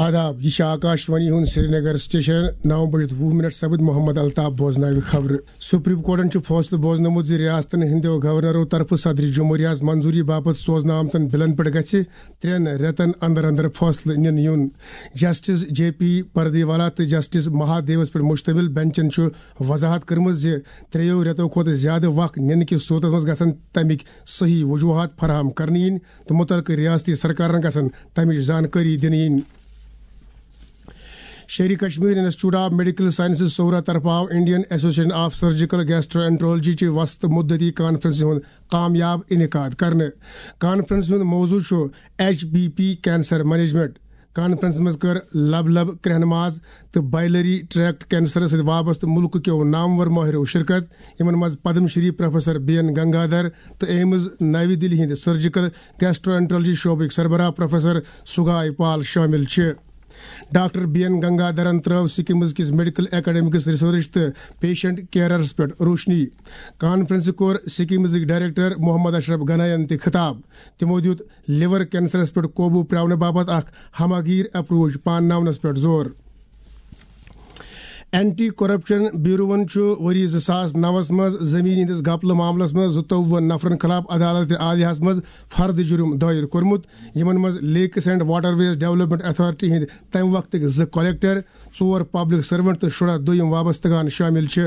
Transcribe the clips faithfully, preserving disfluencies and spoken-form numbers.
آداب، یہِ چھِ آکاش وانی ہُنٛد سرینگر سٹیشن۔ نو بجِتھ وُہ منٹ سپٕدۍ، محمد الطاف بوزناوِ خبرٕ۔ سپریم کورٹن چھُ فٲصلہٕ بوزنومُت زِ ریاستن ہٕنٛدیو گورنرو طرفہٕ صدر جمہوریہس منظوری باپتھ سوزنہٕ آمژن بلن پٮ۪ٹھ گژھِ ترٛٮ۪ن رٮ۪تن اندر اندر فٲصلہٕ نِنہٕ یُن۔ جسٹس جے پی پردیوالا تہٕ جسٹس مہادیوس پٮ۪ٹھ مشتمل بنچن چھُ وضاحت کٔرمٕژ زِ ترٛیٚیو رٮ۪تو کھۄتہٕ زیادٕ وق نِنہٕ کِس صورتس منٛز گژھن تَمِکۍ صحیح وجوہات فراہم کرنہٕ یِنۍ تہٕ مُتعلقہٕ ریاستی سرکارن گژھن تَمِچ زانکٲری دِنہٕ یِنۍ۔ Sher Kashmir institute of medical sciences Soura طرفہٕ آو Indian association of surgical gastroenterology چہِ وسط مدتی کانفرنسہِ ہُنٛد کامیاب انعقاد کرنہٕ۔ کانفرنسہِ ہُنٛد موضوع چھُ H B P cancer management. کانفرنسہِ منٛز کٔر لب لب کرٛہنہٕ ماز تہٕ بائلری ٹریکٹ کینسرس سۭتۍ وابستہٕ مُلکہٕ کیو نامور مٲہرو شرکت، یِمن منٛز Padma Shri professor B N Gangadhar تہٕ ایمز نَوِ دِلہِ ہٕنٛدۍ سرجیکل گیسٹرو انٹرولوجی شعبٕکۍ سربراہ پروفیسر سگاے پال شٲمِل چھِ۔ ڈاکٹر بی این گنگادھرن ترٲو سکمز کِس میڈیکل اکیڈمکس ریسرچ تہٕ پیشنٹ کیئرس پٮ۪ٹھ روشنی۔ کانفرنسہِ کوٚر سکمزٕکۍ ڈائریکٹر محمد اشرف گناین تہِ خطاب۔ تِمو دیُت لیور کینسرس پٮ۪ٹھ قوبو پراونہٕ باپتھ اکھ ہمہ گیر اپروچ پانناونس پٮ۪ٹھ زور۔ اینٹی کرپشن بیوروَن چھُ ؤری زٕ ساس نَوَس منٛز زٔمیٖن ہٕنٛدِس گپلہٕ معاملس منٛز زٕتووُہ نفرن خلاف عدالت عالیہَس منٛز فرد جرم دٲیر کوٚرمُت، یِمن منٛز lakes and waterways development authority ہٕنٛدۍ تَمہِ وقتٕکۍ زٕ کلیکٹر، ژور پبلک سرونٹ تہٕ شُراہ دوٚیِم وابستگان شٲمِل چھِ۔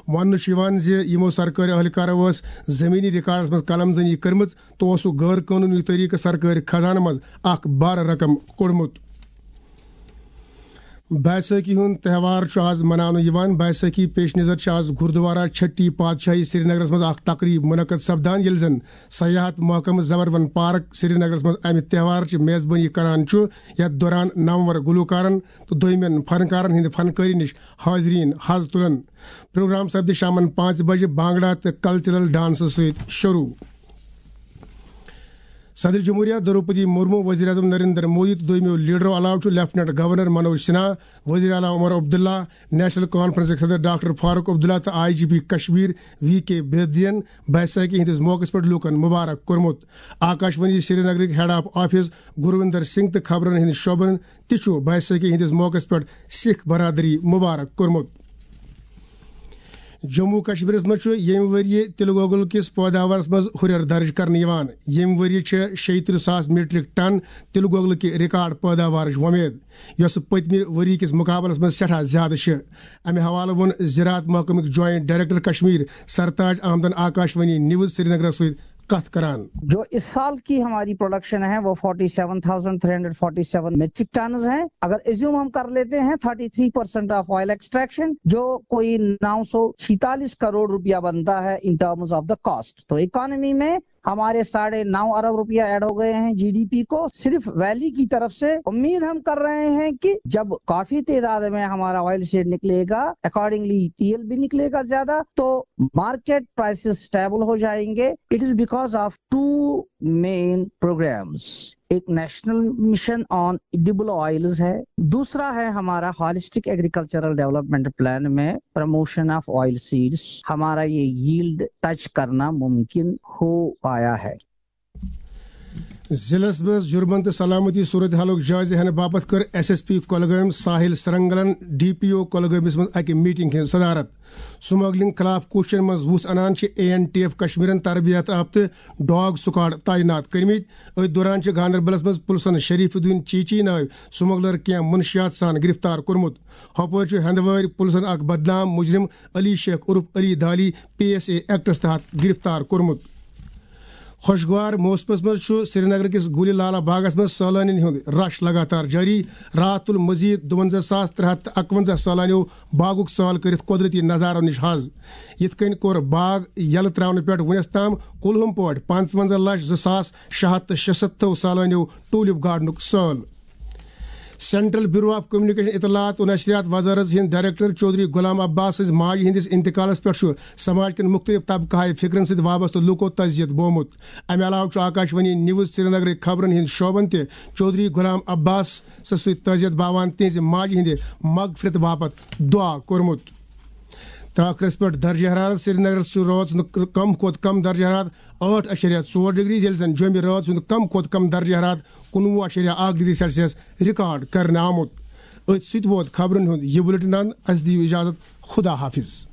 وننہٕ چھُ یِوان زِ یِمو سرکٲرۍ اہلکارو ٲس زٔمیٖنی ریکارڈس منٛز قلم زنی کٔرمٕژ تہٕ اوسُکھ غٲر قونوٗنی طریقہٕ سرکٲرۍ خزانہٕ منٛز اکھ بارٕ رقم کوٚڑمُت۔ بیساکھی ہُنٛد تہوار چھُ آز مناونہٕ یِوان۔ بیساکھی پیش نظر چھِ آز گردوارہ چھٹی پادشاہی سرینگرس منٛز اکھ تقریب منعقد سپدان، ییٚلہِ زن سیاحت محکمہٕ زبروَن پارک سرینگرس منٛز امہِ تہوارٕچ میزبٲنی کران چھُ، یتھ دوران نامور گلوکارن تہٕ دوٚیمٮ۪ن فنکارن ہٕنٛدِ فنکٲری نِش حاضریٖن حظ تُلن۔ پروگرام سپدِ شامن پانٛژِ بجہِ بانگڑا تہٕ کلچرل ڈانسہٕ سۭتۍ شروع۔ صدر جمہوریہ دروپدی مرمو، وزیر اعظم نریندر مودی تہٕ دوٚیمیو لیڈرو علاوٕ چھُ لیفٹیننٹ گورنر منوج سنہا، وزیر اعلیٰ عمر عبداللہ، نیشنل کانفرنسٕکۍ صدر ڈاکٹر فاروق عبداللہ تہٕ I G P Kashmir V K بیدین بیساکھی ہٕنٛدِس موقعس پٮ۪ٹھ لوٗکن مبارک کوٚرمُت۔ آکاش وانی سرینگرٕکۍ head of office Gurvinder Singh تہٕ خبرن ہٕنٛدۍ شعبن تہِ چھُ بیساکھی ہٕنٛدِس موقعس پٮ۪ٹھ سکھ برادری مبارک کوٚرمُت۔ جموں کشمیرس منٛز چھُ ییٚمہِ ؤرۍ یہِ تِلہٕ گۄگُل کِس پٲداوارس منٛز ہُرٮ۪ر درٕج کرنہٕ یِوان۔ ییٚمہِ ؤرۍ یہِ چھِ شیٚیہِ ترٕٛہ ساس میٹرک ٹن تِلہٕ گۄگلہٕ کہِ ریکارڈ پٲداوارٕچ وۄمید، یۄسہٕ پٔتمہِ ؤرۍ یہِ کِس مُقابلس منٛز سٮ۪ٹھاہ زیادٕ چھِ۔ امہِ حوالہٕ ووٚن زراعت محکمٕکۍ جوائنٹ ڈائریکٹر کشمیر سرتاج احمدن آکاش وانی نیوز سرینگرس سۭتۍ کتھ کران۔ جو اس سال کی ہماری پروڈکشن ہے، وہ forty seven thousand three hundred forty seven metric tons ہیں۔ اگر ایزیوم ہم کر لیتے ہیں thirty three percent of oil extraction, جو کوئی نو سو چھیتالیس کروڑ روپیہ بنتا ہے in terms of the cost, تو اکانومی میں ہمارے ساڑھے نو ارب روپیہ ایڈ ہو گئے ہیں جی ڈی پی کو، صرف ویلی کی طرف سے۔ امید ہم کر رہے ہیں کہ جب کافی تعداد میں ہمارا آئل سیڈ نکلے گا، اکارڈنگلی تیل بھی نکلے گا زیادہ، تو مارکیٹ پرائسز اسٹیبل ہو جائیں گے۔ It is because of two main programs. ایک نیشنل مشن آن ایڈیبل آئلز ہے، دوسرا ہے ہمارا ہالسٹک ایگریکلچرل ڈیولپمنٹ پلان میں پروموشن آف آئل سیڈز۔ ہمارا یہ ییلڈ ٹچ کرنا ممکن ہو پایا ہے۔ ضلعس منٛز جرمن تہٕ سلامتی صورتحالُک جٲیزٕ ہٮ۪نہٕ باپتھ کٔر ایس ایس پی کۄلگٲمۍ ساحل سرنگلن ڈی پی او کۄلگٲمِس منٛز اَکہِ میٹنگ ہٕنٛز صدارت۔ سمگلنگ خلاف کوششن منٛز وُژھ انان چھِ اے این ٹی ایف کشمیرن تربیت یافتہٕ ڈاگ سکواڈ تعینات کٔرمٕتۍ۔ أتھۍ دوران چھِ گاندربلس منٛز پُلسن شریف الدین چیچی نٲوۍ سمگلر کینٛہہ منشیات سان گرفتار کوٚرمُت۔ ہۄپٲرۍ چھُ ہندوٲرۍ پُلسن اکھ بدنام مجرم علی شیخ عرف Ali Dali P S A ایکٹس تحت گرفتار کوٚرمُت۔ خۄشگوار موسمس منٛز چھُ سرینگر کِس گُلہِ لالا باغس منٛز سٲلٲنِین ہُنٛد رش لگاتار جٲری۔ راتھ تُل مزید دُوَنزاہ ساس ترٛےٚ ہَتھ تہٕ اَکوَنزاہ سٲلٲنیو باغُک سٲل کٔرِتھ قۄدرتی نظارو نِش حظ۔ یِتھ کٔنۍ کوٚر باغ یلہٕ ترٛاونہٕ پٮ۪ٹھ وُنیُس تام کُلہُم پٲٹھۍ پانٛژوَنزاہ لچھ زٕ ساس شےٚ ہَتھ تہٕ شُسَتتھ سٲلٲنیو ٹولپ گارڈنُک سٲل۔ سینٹرل بیورو آف کمیونیکیشن، اطلاعات و نشریات وزارت ہٕنٛدۍ ڈائریکٹر چودھری غلام عباس سٕنٛزِ ماجہِ ہٕنٛدِس انتقالس پٮ۪ٹھ چھُ سماج کٮ۪ن مُختٔلِف طبقہٕ ہائے فکرن سۭتۍ وابستہٕ لوٗکو تعزیت بومُت۔ امہِ علاوٕ چھُ آکاش وانی نیوز سرینگرٕکۍ خبرن ہٕنٛدۍ شعبن تہِ چودھری غلام عباس سٕنٛدِ سۭتۍ تعزیت باوان تِہنٛزِ ماجہِ ہٕنٛدِ مغفرت باپتھ دعا کوٚرمُت۔ تہٕ ٲخرس پٮ۪ٹھ درجہ حرارت۔ سرینگرس چھُ رٲژ ہُنٛد کم کھۄتہٕ کم درجہ حرارت ٲٹھ اَشریہ ژور ڈگری، ییٚلہِ زن جوٚمہِ رٲژ ہُنٛد کم کھۄتہٕ کم درجہ حرارت کُنوُہ اَشریہ اکھ ڈگری سیلسیس ریکارڈ کرنہٕ آمُت۔ أتھۍ سۭتۍ ووت خبرن ہُنٛد یہِ بُلٹن اند۔ اسہِ دِیِو اجازت، خدا حافظ۔